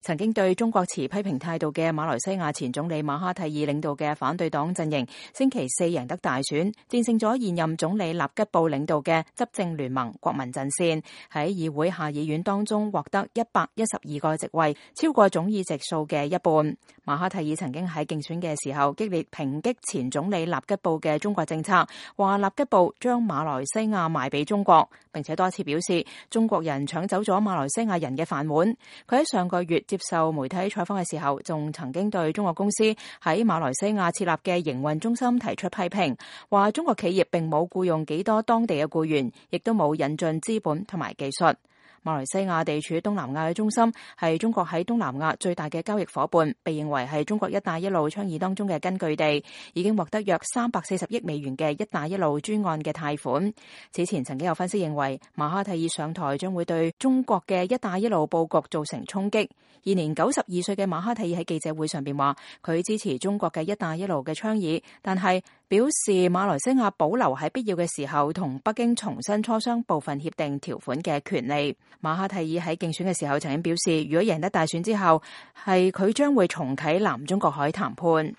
曾經對中國持批評態度嘅馬來西亞前總理馬哈蒂爾領導嘅反對黨陣營，星期四贏得大選，戰勝咗現任總理納吉布領導嘅執政聯盟國民陣線，喺議會下議院當中獲得112個席位，超過總議席數嘅一半。馬哈蒂爾曾經喺競選嘅時候激烈抨擊前總理納吉布嘅中國政策，話納吉布將馬來西亞賣俾中國，並且多次表示中國人搶走咗馬來西亞人嘅飯碗。佢喺上個月接受媒體採訪嘅時候，仲曾經對中國公司喺馬來西亞設立嘅營運中心提出批評，話中國企業並冇僱用幾多當地嘅僱員，亦都冇引進資本同埋技術。馬來西亞地處東南亞嘅中心，係中國喺東南亞最大嘅交易伙伴，被認為係中國一帶一路倡議當中嘅根據地，已經獲得約340億美元嘅一帶一路專案嘅貸款。此前曾經有分析認為，馬哈蒂爾上台將會對中國嘅一帶一路佈局造成衝擊。現年92歲嘅馬哈蒂爾喺記者會上邊話，佢支持中國嘅一帶一路嘅倡議，但係表示馬來西亞保留喺必要嘅時候同北京重新磋商部分協定條款嘅權利。馬哈蒂爾喺競選嘅時候曾經表示，如果贏得大選之後，係佢將會重啟南中國海談判。